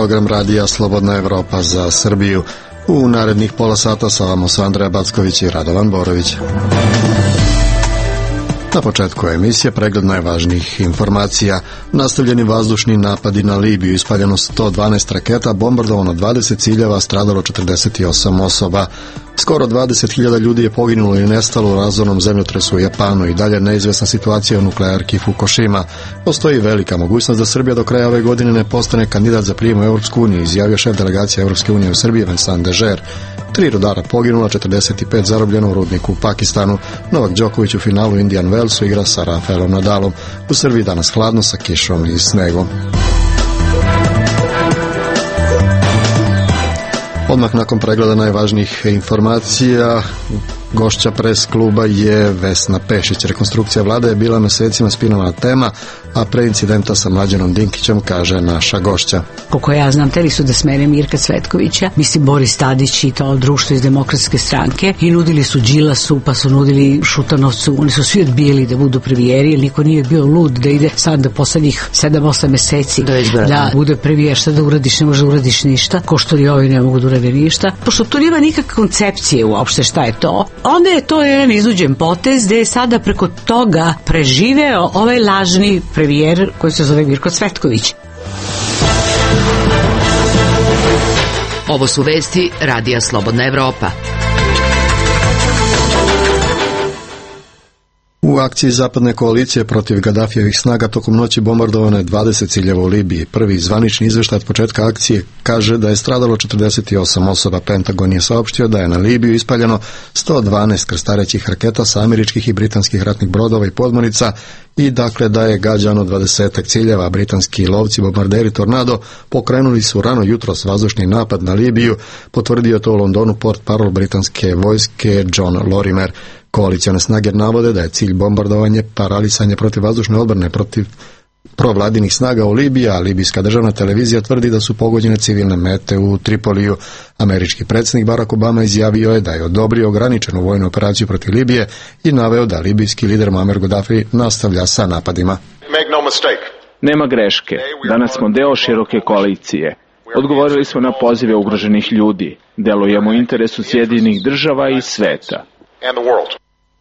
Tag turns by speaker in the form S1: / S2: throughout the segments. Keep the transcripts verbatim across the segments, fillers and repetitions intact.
S1: program radija Slobodna Evropa za Srbiju. U narednih pola sata sa vama su Andreja Backović i Radovan Borović. Na početku emisije pregled najvažnijih informacija. Nastavljeni vazdušni napadi na Libiju, ispaljeno sto dvanaest raketa, bombardovano dvadeset ciljeva, stradalo četrdeset osam osoba. Skoro dvadeset hiljada ljudi je poginulo i nestalo u razornom zemljotresu u Japanu i dalje neizvesna situacija u nuklearki Fukushima. Postoji velika mogućnost da Srbija do kraja ove godine ne postane kandidat za prijem u Evropsku uniju, izjavio šef delegacije Evropske unije u Srbiji Vincent Dežer. Tri rudara poginula, četrdeset pet zarobljeno u rudniku u Pakistanu. Novak Đoković u finalu Indian Wellsu igra sa Rafaelom Nadalom. U Srbiji danas hladno sa kišom i snegom. Odmah nakon pregleda najvažnijih informacija, gošća pres kluba je Vesna Pešić. Rekonstrukcija vlade je bila mesecima spinovana tema, a pre incidenta sa Mlađanom Dinkićem, kaže naša gošća.
S2: Koliko ja znam, teli su da smene Mirka Cvetkovića, mislim Boris Tadić i to društvo iz Demokratske stranke, i nudili su Đilasu, pa su nudili Šutanovcu, oni su svi odbijeli da budu premijeri, jer niko nije bio lud da ide sad da poslednjih sedam osam meseci da, da bude premijer. Šta da uradiš, ne može da uradiš ništa, ko što li ovi ne mogu da urade ništa, pošto tu nema nikakve koncepcije uopšte šta je to. Onda je to jedan izuđen potez gde je sada preko toga preživeo ovaj lažni premijer koji se zove Mirko Cvetković.
S3: Ovo su vesti Radija Slobodna Evropa.
S1: U akciji zapadne koalicije protiv Gadafijevih snaga tokom noći bombardovano je dvadeset ciljeva u Libiji. Prvi zvanični izveštaj od početka akcije kaže da je stradalo četrdeset osam osoba. Pentagon je saopštio da je na Libiju ispaljeno sto dvanaest krstarećih raketa sa američkih i britanskih ratnih brodova i podmornica i dakle da je gađano dvadesetak ciljeva. Britanski lovci bombarderi Tornado pokrenuli su rano jutros vazdušni napad na Libiju, potvrdio to u Londonu portparol britanske vojske John Lorimer. Koalicione snage navode da je cilj bombardovanje paralisanje protivvazdušne odbrane protiv provladinih snaga u Libiji, a libijska državna televizija tvrdi da su pogođene civilne mete u Tripoliju. Američki predsjednik Barack Obama izjavio je da je odobrio ograničenu vojnu operaciju protiv Libije i naveo da libijski lider Muammar Gaddafi nastavlja sa napadima.
S4: Nema greške. Danas smo deo široke koalicije. Odgovorili smo na pozive ugroženih ljudi. Delujemo u interesu Sjedinjenih država i sveta.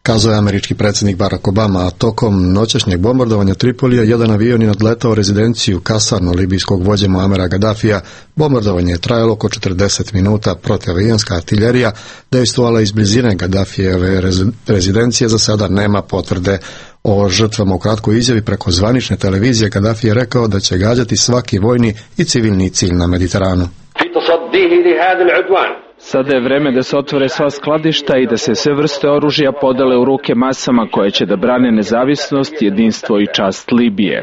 S1: Kazao je američki predsjednik Barack Obama, a tokom noćašnjeg bombardovanja Tripolija jedan avion je nadletao rezidenciju kasarnu libijskog vođe Muamera Gaddafija. Bombardovanje je trajalo oko četrdeset minuta, protivavionska artiljerija dejstvovala iz blizine Gaddafijeve rezidencije, za sada nema potvrde o žrtvama. U kratkoj izjavi preko zvanične televizije Gaddafi je rekao da će gađati svaki vojni i civilni cilj na Mediteranu.
S4: Sada je vreme da se otvore sva skladišta i da se sve vrste oružja podele u ruke masama koje će da brane nezavisnost, jedinstvo i čast Libije.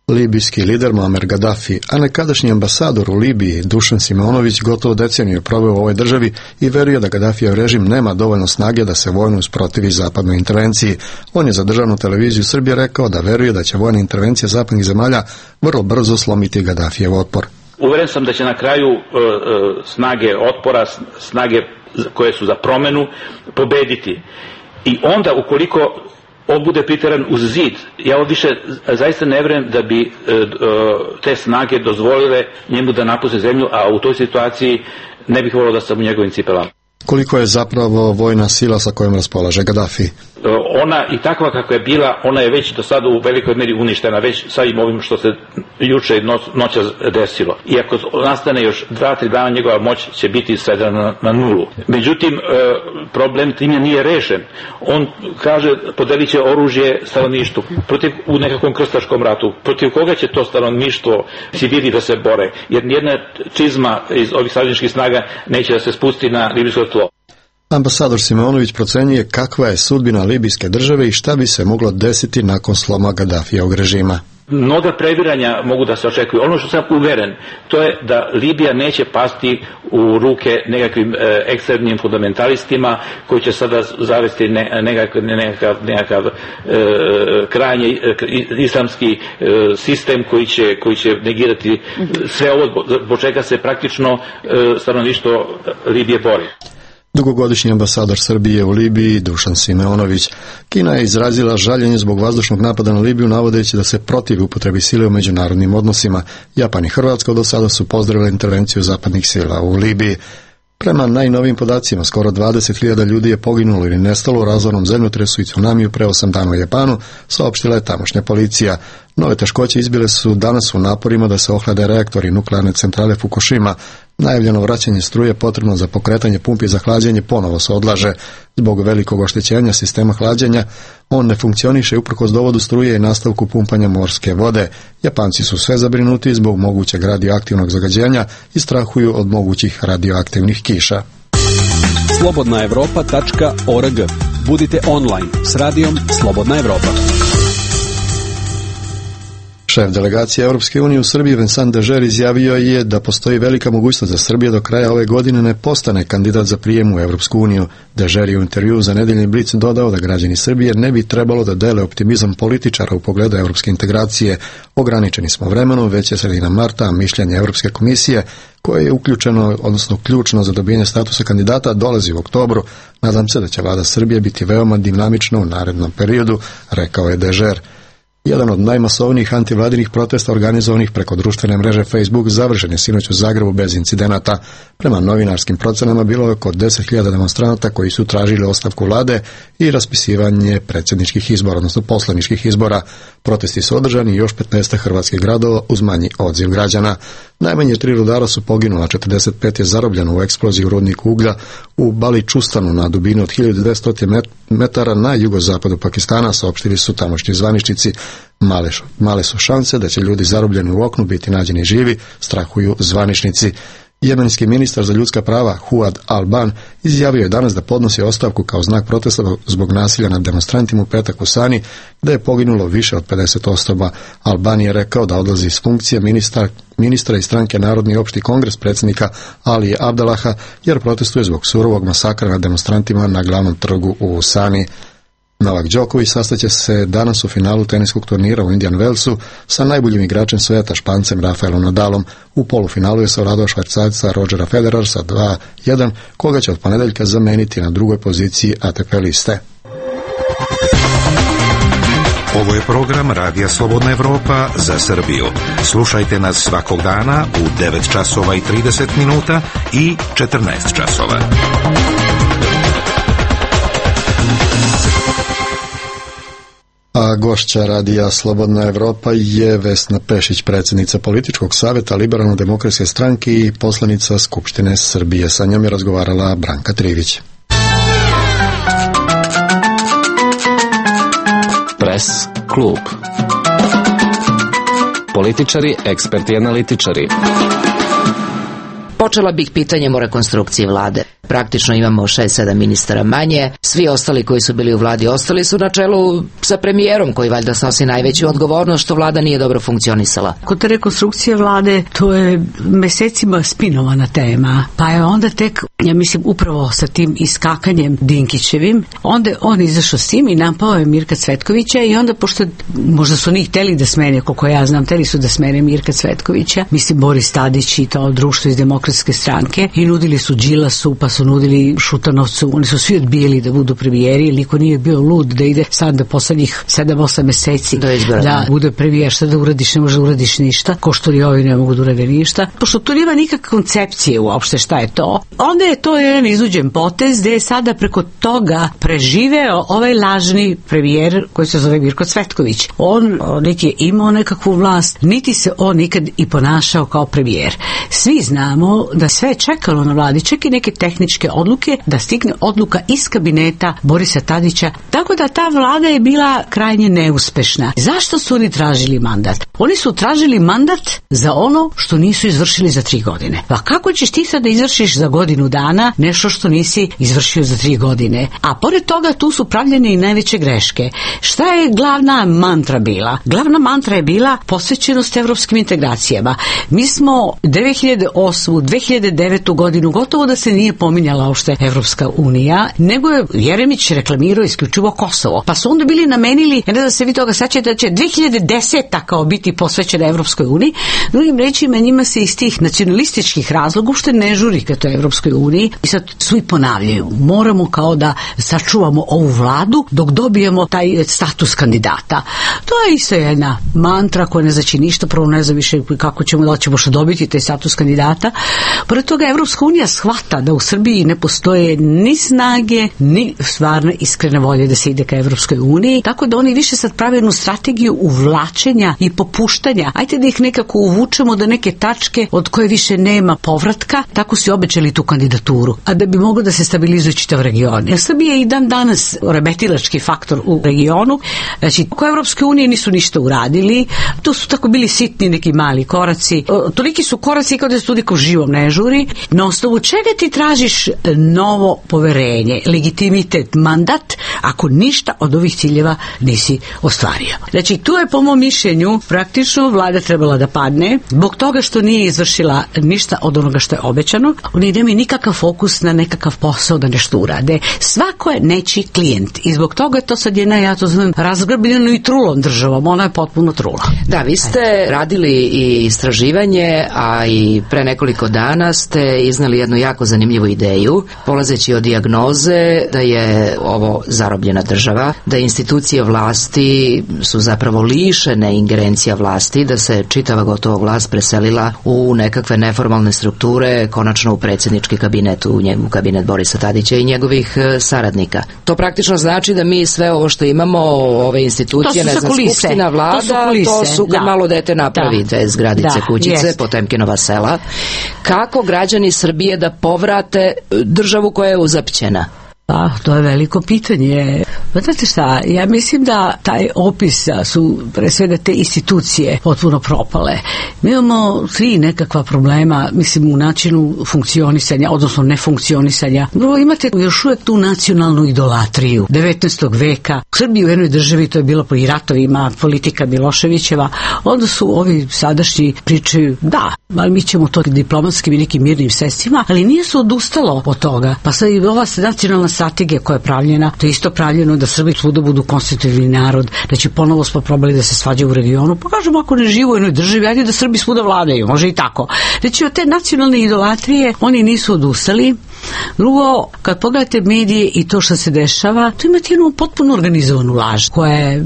S1: Libijski lider Muammar Gaddafi, a nekadašnji ambasador u Libiji Dušan Simonović, gotovo deceniju je proveo u ovoj državi i veruje da Gaddafijev režim nema dovoljno snage da se vojno usprotivi zapadnoj intervenciji. On je za državnu televiziju Srbije rekao da veruje da će vojna intervencija zapadnih zemalja vrlo brzo slomiti Gaddafijev otpor.
S5: Uveren sam da će na kraju e, e, snage otpora, snage koje su za promenu, pobediti. I onda, ukoliko on bude priteran uz zid, ja ovo više zaista ne vjerujem da bi e, e, te snage dozvolile njemu da napuste zemlju, a u toj situaciji ne bih volio da sam u njegovim cipelama.
S1: Koliko je zapravo vojna sila sa kojom raspolaže Gaddafi?
S5: Ona i takva kakva je bila, ona je već do sada u velikoj meri uništena, već sa ovim što se juče i noć, noća desilo. I ako nastane još dva, tri dana, njegova moć će biti svedena na, na nulu. Međutim, problem time nije rešen. On kaže, podelit će oružje stanovništvu protiv, u nekakvom krstaškom ratu. Protiv koga će to stanovništvo civili da se bore? Jer nijedna čizma iz ovih savezničkih snaga neće da se spusti na libijsko tlo.
S1: Ambasador Simonović procenjuje kakva je sudbina libijske države i šta bi se moglo desiti nakon sloma Gaddafijevog režima.
S5: Mnoga previranja mogu da se očekuju. Ono što sam uveren, to je da Libija neće pasti u ruke nekakvim e, ekstremnim fundamentalistima koji će sada zavesti ne, nekakav, nekakav, nekakav e, krajnje e, islamski e, sistem koji će, koji će negirati sve ovo, zbog čega se praktično e, stanovništvo Libije bori.
S1: Dugogodišnji ambasador Srbije u Libiji Dušan Simeonović. Kina je izrazila žaljenje zbog vazdušnog napada na Libiju, navodeći da se protivi upotrebi sile u međunarodnim odnosima. Japan i Hrvatska do sada su pozdravili intervenciju zapadnih sila u Libiji. Prema najnovijim podacima, skoro dvadeset hiljada ljudi je poginulo ili nestalo u razornom zemljotresu i tsunamiju pre osam dana u Japanu, saopštila je tamošnja policija. Nove teškoće izbile su danas u naporima da se ohlade reaktori nuklearne centrale Fukushima. Najavljeno vraćanje struje potrebno za pokretanje pumpi za hlađenje ponovo se odlaže. Zbog velikog oštećenja sistema hlađenja, on ne funkcioniše uprkos dovodu struje i nastavku pumpanja morske vode. Japanci su sve zabrinuti zbog mogućeg radioaktivnog zagađenja i strahuju od mogućih radioaktivnih kiša.
S6: slobodna evropa tačka org. Budite online s radijom Slobodna Evropa.
S1: Šef delegacije Europske unije u Srbiji Vincent Dežer izjavio je da postoji velika mogućnost da Srbija do kraja ove godine ne postane kandidat za prijem u Europsku uniju. Dežer je u intervjuu za nedeljni Blic dodao da građani Srbije ne bi trebalo da dele optimizam političara u pogledu europske integracije. Ograničeni smo vremenom, već je sredina marta, a mišljenje Europske komisije, koje je uključeno, odnosno ključno za dobijanje statusa kandidata, dolazi u oktobru. Nadam se da će vlada Srbije biti veoma dinamična u narednom periodu, rekao je Dežer. Jedan od najmasovnijih antivladinih protesta organizovanih preko društvene mreže Facebook završen je sinoć u Zagrebu bez incidenata. Prema novinarskim procenama bilo je oko deset hiljada demonstranata koji su tražili ostavku vlade i raspisivanje predsjedničkih izbora, odnosno poslaničkih izbora. Protesti su održani još petnaest hrvatskih gradova uz manji odziv građana. Najmanje tri rudara su poginula, četrdeset pet je zarobljeno u eksploziji u rudniku uglja u Baličustanu na dubini od hiljadu dvesta metara na jugozapadu Pakistana, saopštili su tamošnji zvaničnici. Male, male su šanse da će ljudi zarobljeni u oknu biti nađeni živi, strahuju zvaničnici. Jemenski ministar za ljudska prava Huad Al-Ban izjavio je danas da podnosi ostavku kao znak protesta zbog nasilja nad demonstrantima u petak u Sani, gde je poginulo više od pedeset osoba. Al-Ban je rekao da odlazi iz funkcije ministra, ministra iz stranke Narodni opšti kongres predsjednika Ali Abdalaha, jer protestuje zbog surovog masakra nad demonstrantima na glavnom trgu u Sani. Novak Đoković sastaće se danas u finalu teniskog turnira u Indian Wellsu sa najboljim igračem sveta Špancem Rafaelom Nadalom. U polufinalu je savladao Švajcarca Rodgera Federera sa dva jedan, koga će od ponedeljka zameniti na drugoj poziciji A T P liste.
S7: Ovo je program Radija Slobodna Evropa za Srbiju. Slušajte nas svakog dana u devet časova i trideset minuta i četrnaest časova.
S1: A gošća Radija Slobodna Evropa je Vesna Pešić, predsjednica političkog savjeta Liberalno-demokratske stranke i poslanica Skupštine Srbije. Sa njom je razgovarala Branka Trivić.
S8: Pres klub. Političari, eksperti, analitičari.
S3: Počela bih pitanjem o rekonstrukciji vlade. Praktično imamo šest sedam ministara manje, svi ostali koji su bili u vladi ostali su na čelu sa premijerom koji valjda snosi najveću odgovornost što vlada nije dobro funkcionisala.
S2: Kod te rekonstrukcije vlade to je mesecima spinovana tema, pa je onda tek, ja mislim upravo sa tim iskakanjem Dinkićevim, onda on izašao s tim i napao je Mirka Cvetkovića i onda pošto možda su njih hteli da smene, koliko ja znam, hteli su da smene Mirka Cvetkovića, mislim Boris Tadić i to društvo iz Demokratske stranke i nudili su Đilasu, pa su nudili Šutanovcu, oni su svi odbijeli da budu premijeri, ili niko nije bio lud da ide sad da poslednjih sedam osam meseci
S3: da,
S2: da bude premijer, šta da uradiš, ne može da uradiš ništa, ko što li ovi ne mogu da urade ništa, pošto tu nema nikakve koncepcije uopšte šta je to. Onda je to jedan izuđen potez gde je sada preko toga preživeo ovaj lažni premijer koji se zove Mirko Cvetković. On niti je imao nekakvu vlast, niti se on nikad i ponašao kao premijer. Svi znamo da sve je čekalo na vladi, čak i neke tehničke odluke, da stigne odluka iz kabineta Borisa Tadića, tako da ta vlada je bila krajnje neuspešna. Zašto su oni tražili mandat? Oni su tražili mandat za ono što nisu izvršili za tri godine. Pa kako ćeš ti sad da izvršiš za godinu dana nešto što nisi izvršio za tri godine? A pored toga tu su pravljene i najveće greške. Šta je glavna mantra bila? Glavna mantra je bila posvećenost evropskim integracijama. Mi smo dve hiljade osmu, dve hiljade devetu godinu gotovo da se nije pominjali pominjala uopšte Evropska unija, nego je Jeremić reklamirao isključivo Kosovo. Pa su onda bili namenili, ne da se vi toga sećate, da će dve hiljade deseta kao biti posvećena Evropskoj uniji. Drugim rečima, njima se iz tih nacionalističkih razloga uopšte ne žuri ka toj Evropskoj uniji i sad svi ponavljaju. Moramo kao da sačuvamo ovu vladu dok dobijemo taj status kandidata. To je isto jedna mantra koja ne znači ništa, prvo ne zna više kako ćemo, da ćemo što dobiti taj status kandidata. Pored toga Evropska unija shvata da u Srbiji ne postoje ni snage, ni stvarno iskrene volje da se ide ka Evropskoj uniji, tako da oni više sad prave jednu strategiju uvlačenja i popuštanja. Ajde da ih nekako uvučemo do neke tačke od koje više nema povratka, tako su obećali tu kandidaturu, a da bi moglo da se stabilizuje čitav region. Jer Srbija je i dan danas remetilački faktor u regionu, znači oko Evropske unije nisu ništa uradili, to su tako bili sitni neki mali koraci, toliki su koraci kao da se tu nikom živom ne žuri. Na osnovu čega ti tražiš novo poverenje, legitimitet, mandat, ako ništa od ovih ciljeva nisi ostvario? Znači, tu je po mom mišljenju praktično vlada trebala da padne zbog toga što nije izvršila ništa od onoga što je obećano. Oni nemaju nikakav fokus na nekakav posao da nešto urade. Svako je nečiji klijent i zbog toga je to sad jedna, ja to znam, razgrbljeno i trulom državom. Ona je potpuno trula.
S3: Da, vi ste radili i istraživanje, a i pre nekoliko dana ste iznali jednu jako zanimljivu ideju, polazeći od dijagnoze da je ovo zarobljena država, da institucije vlasti su zapravo lišene ingerencija vlasti, da se čitava gotovo vlast preselila u nekakve neformalne strukture, konačno u predsjednički kabinet, u njegu kabinet Borisa Tadića i njegovih saradnika. To praktično znači da mi sve ovo što imamo, ove institucije, ne znam, skupština, vlada, to su, kulise, to su kad da. malo dete napravi te zgradice, da, kućice, jest. Potemkinova sela. Kako građani Srbije da povrate državu koja je uzapćena?
S2: Pa, to je veliko pitanje. Znate šta, ja mislim da taj opis su pre svega te institucije potpuno propale. Mi imamo tri nekakva problema, mislim, u načinu funkcionisanja, odnosno nefunkcionisanja. Prvo, imate još uvijek tu nacionalnu idolatriju devetnaestog veka. U Srbiji u jednoj državi to je bilo po i ratovima, politika Miloševićeva. Onda su ovi sadašnji pričaju, da, ali mi ćemo to diplomatskim i nekim mirnim sredstvima, ali nije se odustalo od toga. Pa sad i ova nacionalna strategija koja je pravljena, to je isto pravljeno da Srbi svuda budu konstitutivni narod, da će ponovo smo probali da se svađaju u regionu, pa kažemo ako ne živu u jednoj državi, ajde da Srbi svuda vladaju, može i tako. Znači od te nacionalne idolatrije oni nisu odustali. Drugo, kad pogledate medije i to što se dešava, tu imate jednu potpuno organizovanu laž koja je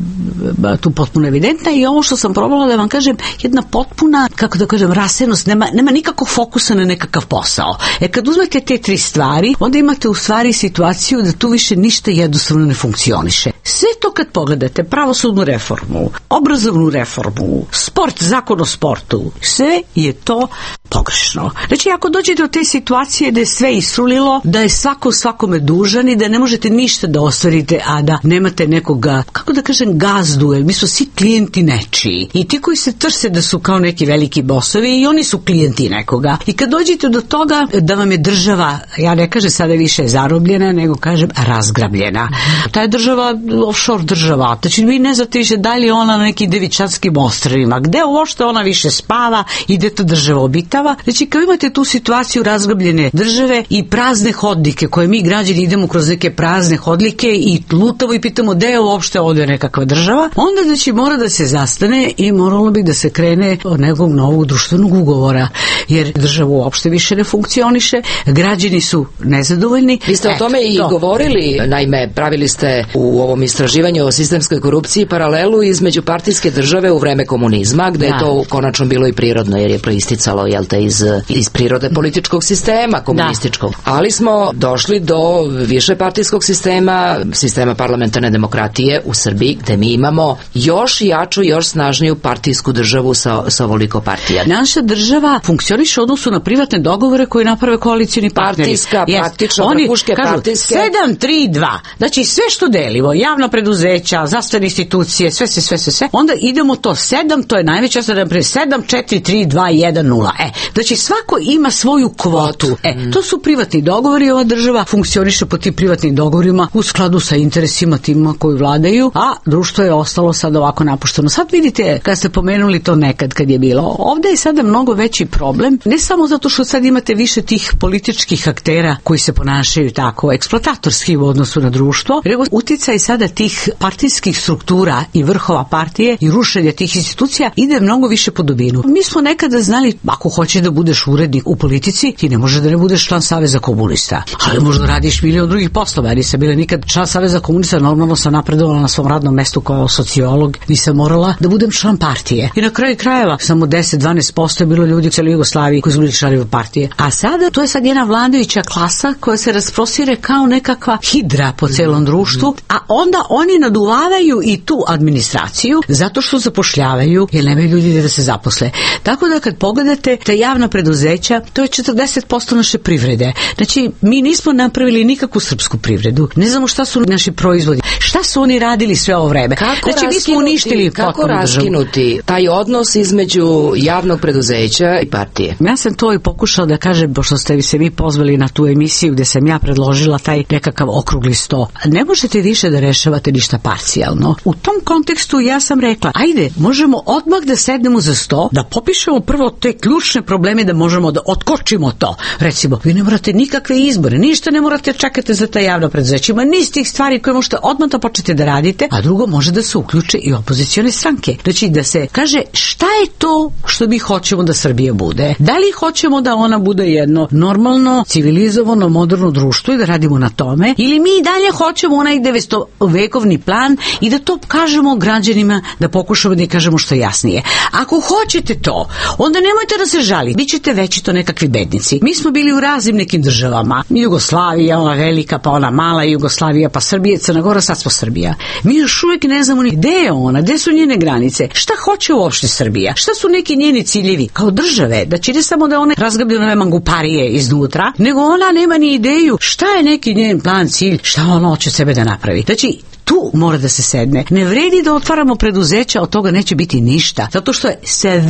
S2: tu potpuno evidentna i ovo što sam probala da vam kažem, jedna potpuna, kako da kažem, rasenost, nema, nema nikakvog fokusa na nekakav posao. E kad uzmete te tri stvari, onda imate u stvari situaciju da tu više ništa jednostavno ne funkcioniše. Sve to kad pogledate, pravosudnu reformu, obrazovnu reformu, sport, zakon o sportu, sve je to pogrešno. Znači, ako dođete do te situacije da je sve isrulilo, da je svako svakome dužan i da ne možete ništa da ostvarite, a da nemate nekoga, kako da kažem, gazdu, jer mi su svi klijenti nečiji. I ti koji se trse da su kao neki veliki bosovi, i oni su klijenti nekoga. I kad dođete do toga da vam je država, ja ne kažem sada više zarobljena, nego kažem razgrabljena. Ta je država offshore država. Znači, vi ne znate više da li je ona na nekim Devičanskim ostrvima, gde uopšte ona više spava i gde ta država obitava. Znači, kao imate tu situaciju razgrabljene države i prazne hodnike koje mi građani idemo kroz neke prazne hodnike i lutamo i pitamo gde je uopšte ovdje nekakva država, onda znači mora da se zastane i moralo bi da se krene od nekog novog društvenog ugovora, jer država uopšte više ne funkcioniše, građani su nezadovoljni.
S3: Vi ste o tome Eto, i to. govorili, naime, pravili ste u ovom istraživanju o sistemskoj korupciji paralelu između partijske države u vreme komunizma, gde da. je to konačno bilo i prirodno, jer je proisticalo, jel te, iz, iz prirode političkog sistema komunističkog. Da. Ali smo došli do više partijskog sistema, sistema parlamentarne demokratije u Srbiji, gde mi imamo još jaču, još snažniju partijsku državu sa, sa ovoliko partija.
S2: Naša država funkcioniše u odnosu na privatne dogovore koje naprave koalicijni partneri.
S3: Partijska, yes. praktično, vrhuške partijske.
S2: sedam tri dva. Znači sve što delimo, javna preduzeća, zdravstvene institucije, sve se, sve se, sve. Onda idemo to sedam, to je najveća sedam četiri tri dva jedan nula. E, znači svako ima svoju kvotu. E, to su privatni privatni dogovor i ova država funkcioniše po tim privatnim dogovorima u skladu sa interesima tima koji vladaju, a društvo je ostalo sad ovako napušteno. Sad vidite, kad ste pomenuli to nekad kad je bilo, ovde je sada mnogo veći problem, ne samo zato što sad imate više tih političkih aktera koji se ponašaju tako eksploatatorski u odnosu na društvo, nego uticaj sada tih partijskih struktura i vrhova partije i rušenja tih institucija ide mnogo više po dubinu. Mi smo nekada znali, ako hoćeš da budeš urednik u politici, ti ne možeš da ne budeš član Saveza komunista, ali možda radiš milion drugih poslova. Ja nisam bila nikad član Saveza komunista, normalno sam napredovala na svom radnom mestu kao sociolog, nisam morala da budem član partije. I na kraju krajeva samo deset do dvanaest posto je bilo ljudi u celoj Jugoslaviji koji su bili članovi partije. A sada to je sad jedna vladajuća klasa koja se rasprostire kao nekakva hidra po celom društvu, a onda oni naduvavaju i tu administraciju zato što zapošljavaju jer nemaju ljudi da se zaposle. Tako da kad pogledate te javna preduzeća, to je četrdeset posto naše privrede. Znači, mi nismo napravili nikakvu srpsku privredu. Ne znamo šta su naši proizvodi. Šta su oni radili sve ovo vreme?
S3: Kako
S2: znači, mi smo uništili
S3: kako raskinuti taj odnos između javnog preduzeća i partije?
S2: Ja sam to i pokušala da kažem, pošto ste se vi pozvali na tu emisiju gde sam ja predložila taj nekakav okrugli sto. Ne možete više da rešavate ništa parcijalno. U tom kontekstu ja sam rekla, ajde, možemo odmah da sednemo za sto, da popišemo prvo te ključne probleme, da možemo da otkočimo to. Recimo, vi ne morate nikakve izbore, ništa ne morate čekati za ta javna preduzeća. Ima niz tih stvari koje možete odmah da počnete da radite, a drugo može da se uključe i opozicione stranke. Znači da se kaže šta je to što mi hoćemo da Srbija bude. Da li hoćemo da ona bude jedno normalno, civilizovano, moderno društvo i da radimo na tome, ili mi i dalje hoćemo onaj devetstovekovni plan i da to kažemo građanima, da pokušamo da i kažemo što jasnije. Ako hoćete to, onda nemojte da se žalite. Bićete većito nekakvi bednici. Mi smo bili u raznim nekim državama. Jugoslavija, ona velika, pa ona mala Jugoslavija, pa Srbija, Crna Gora, sad smo Srbija. Mi još uvijek ne znamo ni gde je ona, gde su njene granice, šta hoće uopšte Srbija, šta su neki njeni ciljevi kao države, da će ne samo da one razgablju nove manguparije iznutra, nego ona nema ni ideju šta je neki njen plan, cilj, šta ona hoće sebe da napravi. Znači, tu mora da se sedne. Ne vredi da otvaramo preduzeća, od toga neće biti ništa, zato što je sve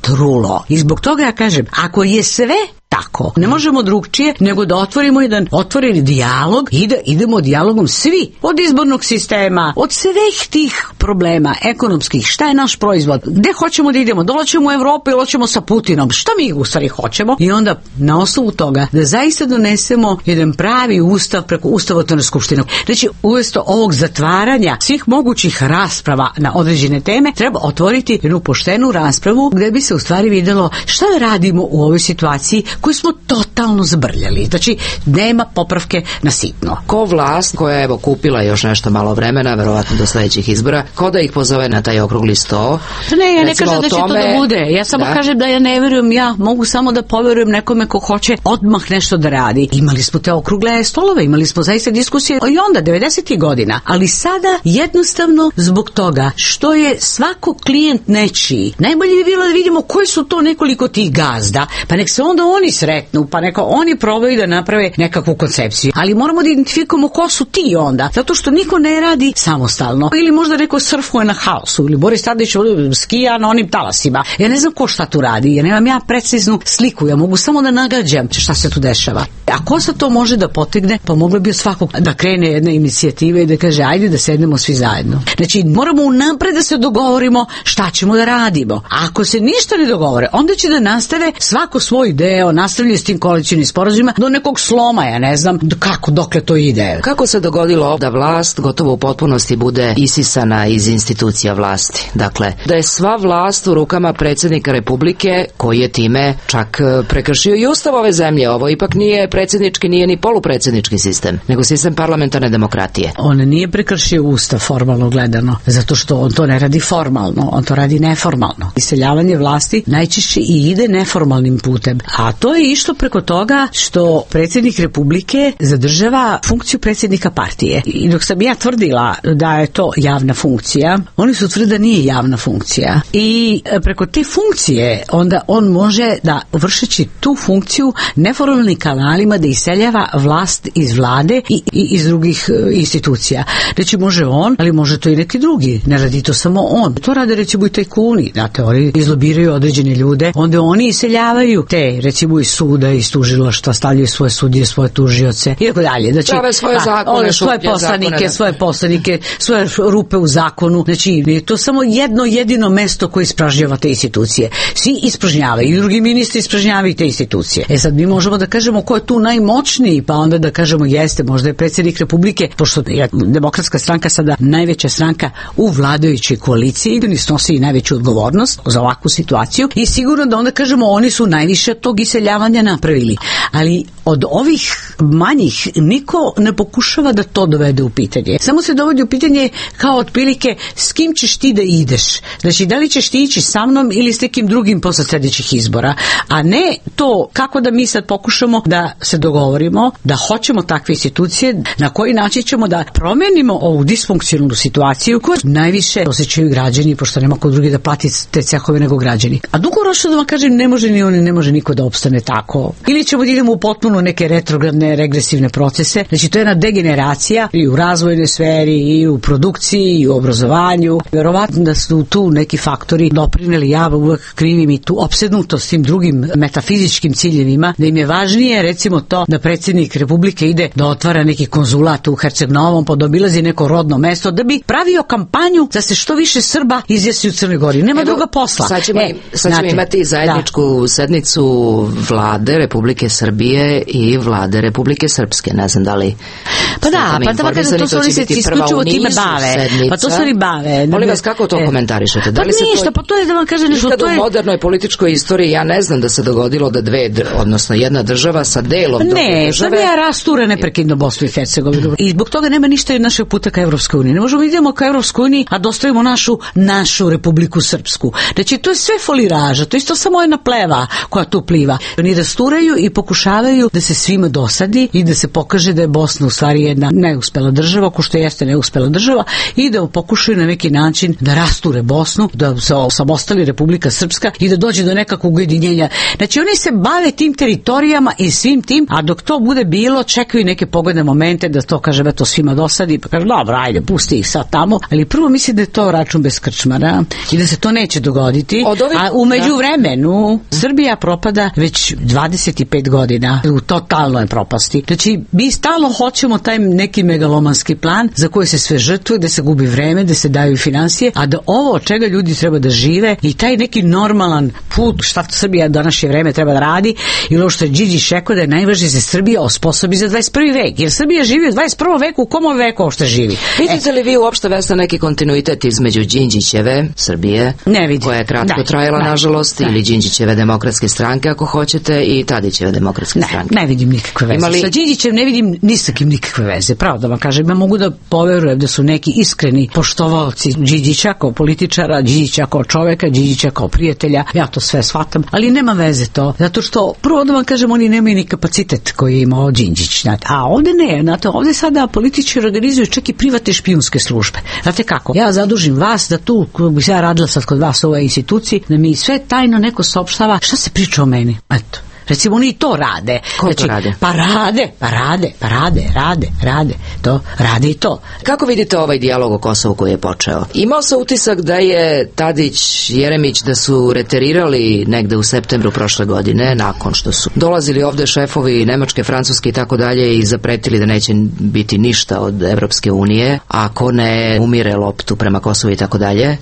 S2: trulo. I zbog toga ja kažem, ako je sve tako, ne možemo drugčije nego da otvorimo jedan otvoreni dijalog i da idemo dijalogom svi, od izbornog sistema, od svih tih problema ekonomskih, šta je naš proizvod, gde hoćemo da idemo, dolaćemo u Evropu ili hoćemo sa Putinom, šta mi u stvari hoćemo, i onda na osnovu toga da zaista donesemo jedan pravi ustav preko ustavotvorne skupštine. Znači, umjesto ovog zatvaranja svih mogućih rasprava na određene teme, treba otvoriti jednu poštenu raspravu gde bi se u stvari videlo šta radimo u ovoj situaciji koju smo totalno zbrljali. Znači, nema popravke na sitno.
S3: Ko vlast koja je evo kupila još nešto malo vremena, verovatno do sledećih izbora, ko da ih pozove na taj okrugli sto?
S2: Ne, ja ne kažem da će tome, to da bude. Ja samo da. kažem da ja ne verujem, ja mogu samo da poverujem nekome ko hoće odmah nešto da radi. Imali smo te okrugle stolove, imali smo zaista diskusije i onda, devedesetih godina. Ali sada jednostavno zbog toga što je svako klijent nečiji, najbolje bi bilo da vidimo koji su to nekoliko tih gazda, pa nek se onda oni sretnu, pa neka oni probaju da naprave nekakvu koncepciju. Ali moramo da identifikujemo ko su ti onda, zato što niko ne radi samostalno. Ili možda neko surfuje na haosu, ili Boris Tadić skija na onim talasima. Ja ne znam ko šta tu radi, ja nemam ja preciznu sliku, ja mogu samo da nagađam šta se tu dešava. A ko se to može da potegne, pa moglo bi od svakog da krene jedna inicijativa i da kaže ajde da sednemo svi zajedno. Znači moramo unapred da se dogovorimo šta ćemo da radimo. A ako se ništa ne dogovore, onda će da nastave svako svoj deo, nastavljaju s tim koalicionim sporazumima do nekog sloma, ja ne znam kako, dokle to ide.
S3: Kako se dogodilo da vlast gotovo u potpunosti bude isisana iz institucija vlasti? Dakle, da je sva vlast u rukama predsjednika Republike, koji je time čak prekršio i ustav ove zemlje. Ovo ipak nije predsjednički, nije ni polupredsjednički sistem, nego sistem parlamentarne demokratije.
S2: On nije prekršio ustav formalno gledano, zato što on to ne radi formalno, on to radi neformalno. Iseljavanje vlasti najčešće i ide neformalnim putem, a to je išlo preko toga što predsjednik Republike zadržava funkciju predsjednika partije. I dok sam ja tvrdila da je to javna funkcija, oni su tvrdili da nije javna funkcija. I preko te funkcije onda on može da, vršeći tu funkciju, neformalnim kanalima da iseljava vlast iz vlade i, i iz drugih institucija. Znači može on, ali može to i neki drugi. Ne radi to samo on. To rade recimo i tajkuni. Znate, oni izlobiraju određene ljude, onda oni iseljavaju te recimo iz suda, iz tužilaštva, stavljaju svoje sudije, svoje tužioce i tako dalje. Znači,
S3: prave svoje zakone,
S2: svoje poslanike, svoje poslanike, svoje rupe u zakonu. Znači, je to samo jedno jedino mesto koje ispražnjava te institucije. Svi ispražnjavaju, i drugi ministri ispražnjavaju te institucije. E sad mi možemo da kažemo ko je tu najmoćniji, pa onda da kažemo jeste, možda je predsjednik Republike, pošto je Demokratska stranka sada najveća stranka u vladajućoj koaliciji, oni snosi i najveću odgovornost za ovakvu situaciju i sigurno da onda kažemo oni su najviše tog iseljavanja napravili. Ali od ovih manjih niko ne pokušava da to dovede u pitanje. Samo se dovodi u pitanje kao otprilike s kim ćeš ti da ideš. Znači, da li ćeš ti ići sa mnom ili s nekim drugim posle sljedećih izbora, a ne to kako da mi sad pokušamo da se dogovorimo, da hoćemo takve institucije, na koji način ćemo da promenimo ovu disfunkcionalnu situaciju koju najviše osjećaju građani, pošto nema ko drugi da plati te cehove nego građani. A dugoročno da vam kažem, ne može ni oni, ne može niko da opstane tako. Ili ćemo da idemo u potpuno neke retrogradne, regresivne procese. Znači, to je jedna degeneracija i u razvojnoj sferi, i u produkciji, i u obrazovanju. Verovatno da su tu neki faktori doprineli, ja uvek krivim i tu opsednutost tim drugim metafizičkim ciljevima, da im je važnije recimo to da predsjednik Republike ide da otvara neki konzulat u Herceg-Novom, pa da obilazi neko rodno mesto, da bi pravio kampanju da se što više Srba izjasni u Crnoj Gori. Nema Evo, druga posla.
S3: Sad ćemo,
S2: e,
S3: sad ćemo imati zajedničku da. sednicu vlade Republike Srbije i vlade Republike Srpske. Ne znam da li...
S2: Pa da, pa da, kada to su oni se isključivo time bave.
S3: Sednica.
S2: Pa to su oni bave.
S3: Molim vas, kako to e, komentarišete? Da li
S2: pa ništa,
S3: to,
S2: pa to je da vam kažem nešto.
S3: Nikad
S2: to je...
S3: u modernoj političkoj istoriji ja ne znam da se dogodilo da dve, odnosno jedna država sa delom druge
S2: ne,
S3: države...
S2: Ne, Srbija rastura neprekidno Bosnu i Hercegovinu. I zbog toga nema ništa od našeg puta ka Evropskoj uniji. Ne možemo idemo ka Evropskoj uniji, a dostavimo našu, našu Republiku Srpsku. Znači, to je sve foliraža, to je isto samo jedna pleva koja tu pliva. Oni rasturaju i pokušavaju da se svima dosadi i da se pokaže da je Bosna u stvari jedna neuspela država, ko što jeste neuspela država, i da pokušaju na neki način da rasture Bosnu, da se osamostali Republika Srpska i da dođe do nekakvog ujedinjenja. Znači, oni se bave tim teritorijama i svim tim, a dok to bude bilo, čekaju neke pogodne momente da to kaže, to svima dosadi, pa kaže, dobro, ajde, pusti ih sad tamo, ali prvo mislim da je to račun bez krčmara i da se to neće dogoditi, ovih... a umeđu vremenu Srbija propada već dvadeset pet godina, u totalnoj propasti. Znači, mi stalno hoćemo taj neki megalomanski plan za koji se sve žrtvuje, da se gubi vreme, da se daju financije, a da ovo od čega ljudi treba da žive i taj neki normalan put, šta Srbija današnje vreme treba da radi, ili ovo što je Đinđić rekao da je najvažnije da se Srbija osposobi za dvadeset prvi vek, jer Srbija živi u dvadeset prvom veku, u kom veku uopšte živi.
S3: Vidite li vi uopšte, Vesna, neki kontinuitet između Đinđićeve Srbije,
S2: ne vidim,
S3: koja je kratko
S2: da,
S3: trajala,
S2: da,
S3: nažalost,
S2: da.
S3: ili Đinđićeve demokratske stranke, ako hoćete, i Tadićeve demokratske
S2: ne,
S3: stranke?
S2: Ne vidim nikakve veze. Imali... Sa Đinđićem ne vidim ni sa kim nikakve veze, pravo da vam kažem. Ja mogu da poverujem da su neki iskreni poštovalci Đinđića kao političara, Đinđića kao čoveka, Đinđića kao prijatelja, ja to sve shvatam, ali nema veze to, zato što prvo da vam kažem, oni nemaju ni kapacitet koji je imao Đinđić, znate. A ovde ne, znate, ovde sada političari organizuju čak i privatne špijunske službe. Znate kako? Ja zadužim vas da tu, kako bi se ja radila sad kod vas u ovoj instituciji, da mi sve tajno neko saopštava šta se priča o meni. Eto. Recimo, oni to rade.
S3: Ko
S2: znači,
S3: to rade?
S2: Pa rade, pa rade, pa rade, rade, rade. To, rade i to.
S3: Kako vidite ovaj dijalog o Kosovu koji je počeo? Imao se utisak da je Tadić, Jeremić, da su reterirali negde u septembru prošle godine, nakon što su dolazili ovde šefovi Nemačke, Francuske i tako dalje i zapretili da neće biti ništa od Evropske unije, ako ne umire loptu prema Kosovu i tako dalje.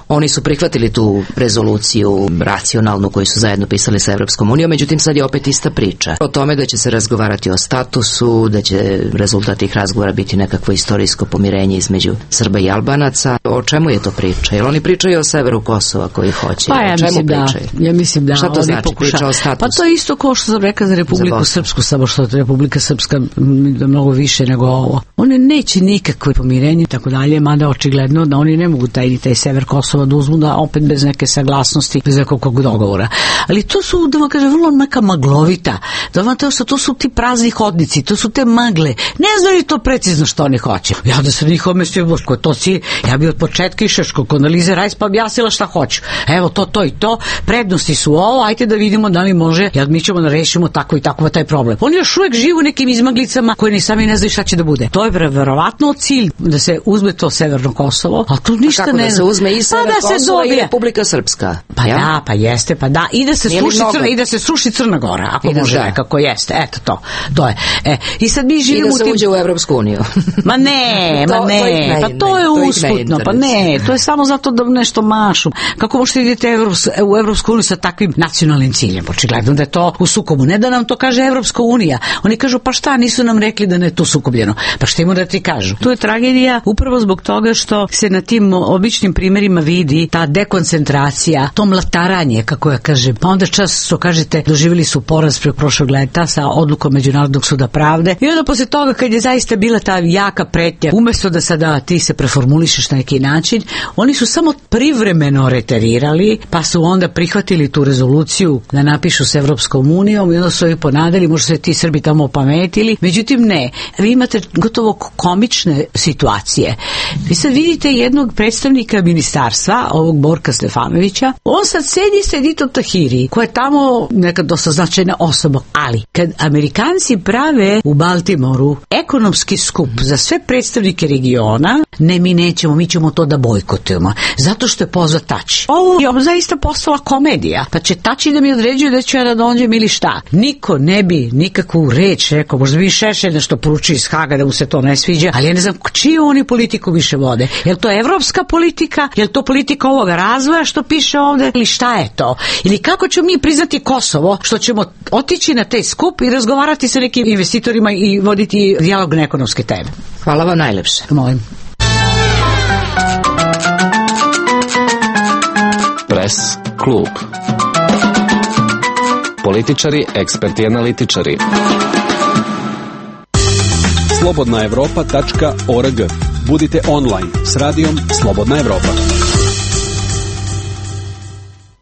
S3: Oni su prihvatili tu rezoluciju racionalnu koju su zajedno pisali sa Evropskom unijom, međutim sad je opet ista priča. O tome da će se razgovarati o statusu, da će rezultat tih razgovora biti nekakvo istorijsko pomirenje između Srba i Albanaca. O čemu je to priča? Jel oni pričaju o severu Kosova koji hoće?
S2: Pa ja
S3: o čemu
S2: mislim
S3: pričaju?
S2: da. Ja mislim da.
S3: Šta to znači?
S2: Pokuša...
S3: Priča o statusu?
S2: Pa to je isto kao što sam rekla za Republiku za Srpsku, samo što je Republika Srpska mnogo više nego ovo. Oni neće nikakve pomirenje i tako dalje, mada očigledno da oni ne mogu taj, taj sever Kosova da uzmu, da opet bez neke saglasnosti, bez nekog dogovora. Ali to su, da vam kažem, vrlo neka maglovita. Da vam to, to su ti prazni hodnici, to su te magle. Ne znaju to precizno što oni hoće. Ja da sam njih omestio, ko to si, ja bi od početka išao kod analize Rajs pa objasnila šta hoću. Evo to, to i to, prednosti su ovo, ajte da vidimo da li može, jer mi ćemo da rešimo tako i tako taj problem. Oni još uvek žive u nekim izmaglicama koji ni sami ne znaju šta će da bude. To je verovatno cilj da se uzme to severno Kosovo, a tu ništa
S3: a kako
S2: ne
S3: da se uzme i sever
S2: pa da
S3: Kosova
S2: se
S3: i Republika Srpska.
S2: Pa
S3: ja?
S2: da, pa jeste, pa da, i da se sruši Crna, i da se sruši Crna Crna Gora, ako
S3: I da
S2: može
S3: da.
S2: nekako jeste, eto to, to je. E, i sad mi
S3: I
S2: živimo
S3: da se
S2: u tim...
S3: uđe u Evropsku uniju.
S2: Ma ne,
S3: To-
S2: ma
S3: to ih
S2: ne,
S3: ne-
S2: pa to
S3: ne,
S2: je
S3: to ih ne
S2: usputno, pa
S3: interesuje.
S2: ne, to je samo zato da nešto mašu. Kako možete idete Evrops, u Evropsku uniju sa takvim nacionalnim ciljem? Očigledno da je to u sukobu. Ne da nam to kaže Evropska unija. Oni kažu, pa šta, nisu nam rekli da ne je to sukobljeno. Pa šta ima da ti kažu? Tu je tragedija upravo zbog toga što se na tim običnim primerima vidi ta dekoncentracija, to mlataranje, kako ja kažem. Pa onda čas, što kažete, doživjeli su poraz pre prošlog leta sa odlukom Međunarodnog suda pravde. I onda posle toga, kad je zaista bila ta jaka pretnja, umesto da sada ti se preformulišeš na neki način, oni su samo privremeno reterirali, pa su onda prihvatili tu rezoluciju da napišu s Evropskom unijom i onda su joj ponadali, možda se ti Srbi tamo opametili. Međutim, ne. Vi imate gotovo komične situacije. Vi sad vidite jednog predstavnika ministarstva, ovog Borka Stefanovića, on sad sedi sa Editom Tahiri, koja je tamo neka dosta značajna osoba, ali kad Amerikanci prave u Baltimoru ekonomski skup za sve predstavnike regiona, ne, mi nećemo, mi ćemo to da bojkotujemo, zato što je pozvat Tači. Ovo je zaista postala komedija, pa će Tači da mi određuje da ću ja da dođem ili šta. Niko ne bi nikakvu reč rekao, možda bi Šešelj nešto poruči iz Haga da mu se to ne sviđa, ali ja ne znam čiju oni politiku više vode. Je li to evropska politika? Je li to politika ovoga razvoja što piše ovde? Ili šta je to? Ili kako ćemo mi priznati Kosovo što ćemo otići na taj skup i razgovarati sa nekim investitorima i voditi dijalog na ekonomske teme?
S3: Hvala vam najlepše.
S2: Molim.
S8: Pres klub. Političari, eksperti i analitičari.
S6: slobodna evropa tačka org. Budite online s radijom Slobodna Evropa.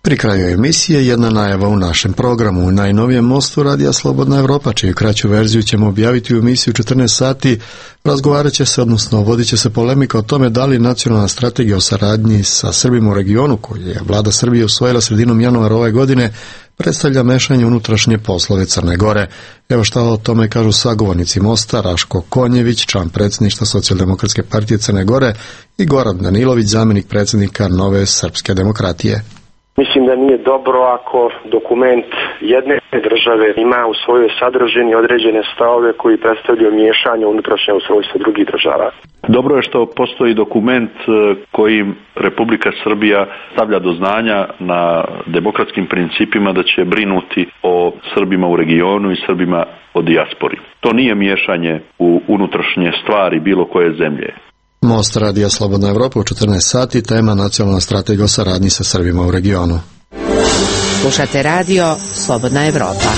S1: Pri kraju emisije jedna najava u našem programu. U najnovijem mostu Radija Slobodna Evropa, čiju kraću verziju ćemo objaviti u emisiji u četrnaest sati, razgovarat će se, odnosno vodit će se polemika o tome da li nacionalna strategija o saradnji sa Srbima u regionu, koju je vlada Srbije usvojila sredinom januara ove godine, predstavlja mešanje unutrašnje poslove Crne Gore. Evo šta o tome kažu sagovornici mosta, Raško Konjević, član predsjedništva Socijaldemokratske partije Crne Gore, i Goran Danilović, zamjenik predsjednika Nove srpske demokratije.
S9: Mislim da nije dobro ako dokument jedne države ima u svojoj sadržini određene stavove koji predstavljaju miješanje unutrašnje ustrojstva drugih država.
S10: Dobro je što postoji dokument kojim Republika Srbija stavlja do znanja na demokratskim principima da će brinuti o Srbima u regionu i Srbima o dijaspori. To nije miješanje u unutrašnje stvari bilo koje zemlje.
S1: Most Radija Slobodna Evropa u četrnaest sati, tema nacionalna strategija o saradnji sa Srbima u regionu.
S3: Slušate radio Slobodna Evropa.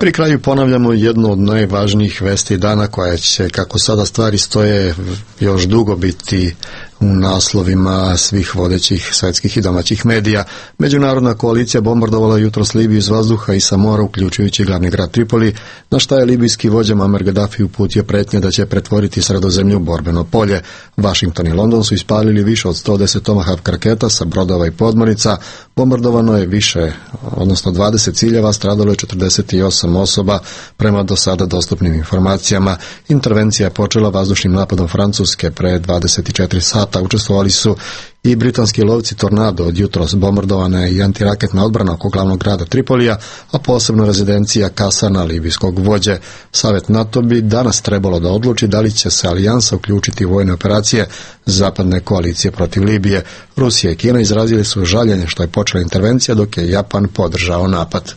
S1: Pri kraju ponavljamo jednu od najvažnijih vesti dana koja će, kako sada stvari stoje, još dugo biti u naslovima svih vodećih svetskih i domaćih medija. Međunarodna koalicija bombardovala jutros Libiju iz vazduha i sa mora, uključujući glavni grad Tripoli, na šta je libijski vođa Muammar Gaddafi uputio pretnje da će pretvoriti Sredozemlju u borbeno polje. Washington i London su ispalili više od sto deset Tomahawk raketa sa brodova i podmornica. Bombardovano je više, odnosno dvadeset ciljeva, stradalo je četrdeset osam osoba prema do sada dostupnim informacijama. Intervencija je počela vazdušnim napadom Francuske pre dvadeset četiri sata. Učestvovali su i britanski lovci Tornado. Od jutros bombardovana je i antiraketna odbrana oko glavnog grada Tripolija, a posebno rezidencija Kasana, libijskog vođe. Savjet NATO bi danas trebalo da odluči da li će se alijansa uključiti u vojne operacije zapadne koalicije protiv Libije. Rusija i Kina izrazili su žaljenje što je počela intervencija, dok je Japan podržao napad.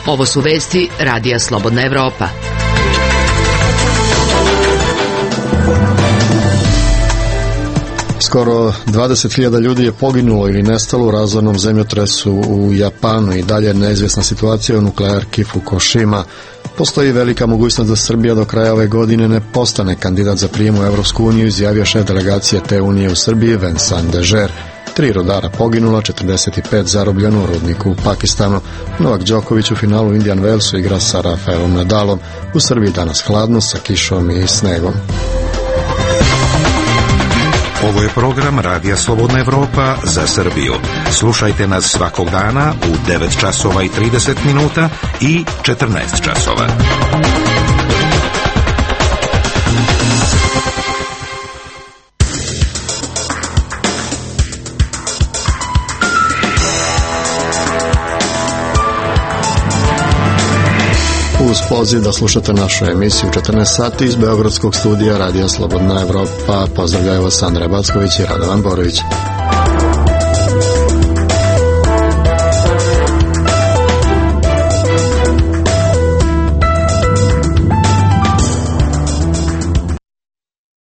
S3: Ovo su vesti Radija Slobodna Evropa.
S1: Skoro dvadeset hiljada ljudi je poginulo ili nestalo u razornom zemljotresu u Japanu i dalje neizvjesna situacija u nuklearki Fukushima. Postoji velika mogućnost da Srbija do kraja ove godine ne postane kandidat za prijem u Evropsku uniju, izjavio šef delegacije te unije u Srbiji Vincent Dežer. Tri rodara poginula, četrdeset pet zarobljeno u rudniku u Pakistanu. Novak Đoković u finalu u Indian Wellsu igra sa Rafaelom Nadalom. U Srbiji danas hladno sa kišom i snegom.
S7: Ovo je program Radija Slobodna Evropa za Srbiju. Slušajte nas svakog dana u devet časova i trideset minuta i četrnaest časova.
S1: poziv da slušate našu emisiju u četrnaest sati iz Beogradskog studija Radija Slobodna Evropa. Pozdravljaju vas Andrej Backović i Radovan Borović.